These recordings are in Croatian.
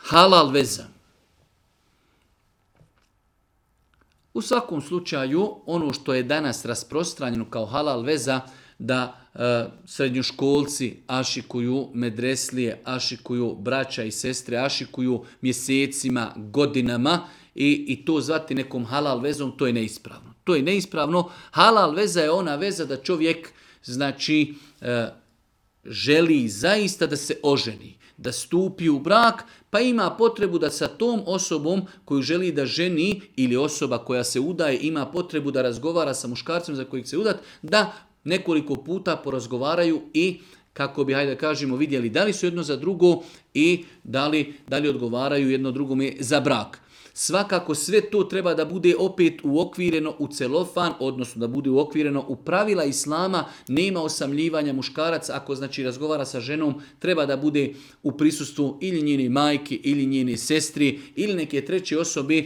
Halal veza. U svakom slučaju, ono što je danas rasprostranjeno kao halal veza, da srednjoškolci ašikuju, medreslije ašikuju, braća i sestre ašikuju mjesecima, godinama i to zvati nekom halal vezom, to je neispravno. To je neispravno. Halal veza je ona veza da čovjek želi zaista da se oženi, da stupi u brak, pa ima potrebu da sa tom osobom koju želi da ženi ili osoba koja se udaje ima potrebu da razgovara sa muškarcem za kojeg se udat, da nekoliko puta porazgovaraju i kako bi, hajde da kažemo, vidjeli da li su jedno za drugo i da li odgovaraju jedno drugome za brak. Svakako sve to treba da bude opet uokvireno u celofan, odnosno da bude uokvireno u pravila islama, nema osamljivanja muškarac, ako razgovara sa ženom, treba da bude u prisustvu ili njene majke, ili njene sestri, ili neke treće osobe,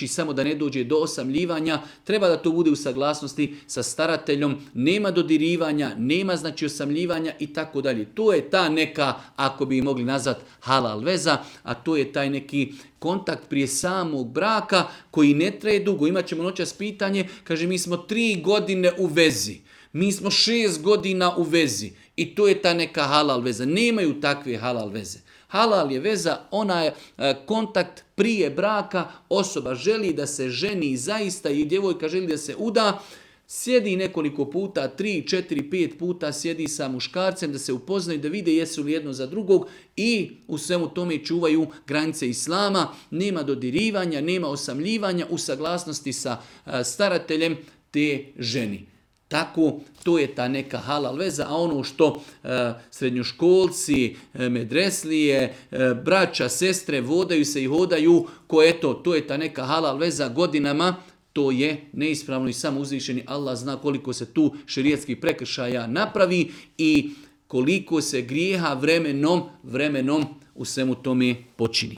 samo da ne dođe do osamljivanja, treba da to bude u saglasnosti sa starateljom, nema dodirivanja, nema osamljivanja i tako dalje. To je ta neka, ako bi mogli nazvati halal veza, a to je taj neki kontakt prije samog braka koji ne traje dugo. Imat ćemo noćas pitanje, kaže mi smo 3 godine u vezi, mi smo 6 godina u vezi i to je ta neka halal veza. Nemaju takve halal veze. Halal je veza, ona je kontakt prije braka, osoba želi da se ženi zaista i djevojka želi da se uda, sjedi nekoliko puta, 3, 4, 5 puta sjedi sa muškarcem da se upoznaju, da vide jesu li jedno za drugog i u svemu tome čuvaju granice islama, nema dodirivanja, nema osamljivanja u saglasnosti sa starateljem te ženi. Tako, to je ta neka halal veza, a ono što srednjoškolci, medreslije, braća, sestre vodaju se i hodaju, to je ta neka halal veza godinama, to je neispravno i samo uzvišeni Allah zna koliko se tu šerijatskih prekršaja napravi i koliko se grijeha vremenom u svemu tome počini.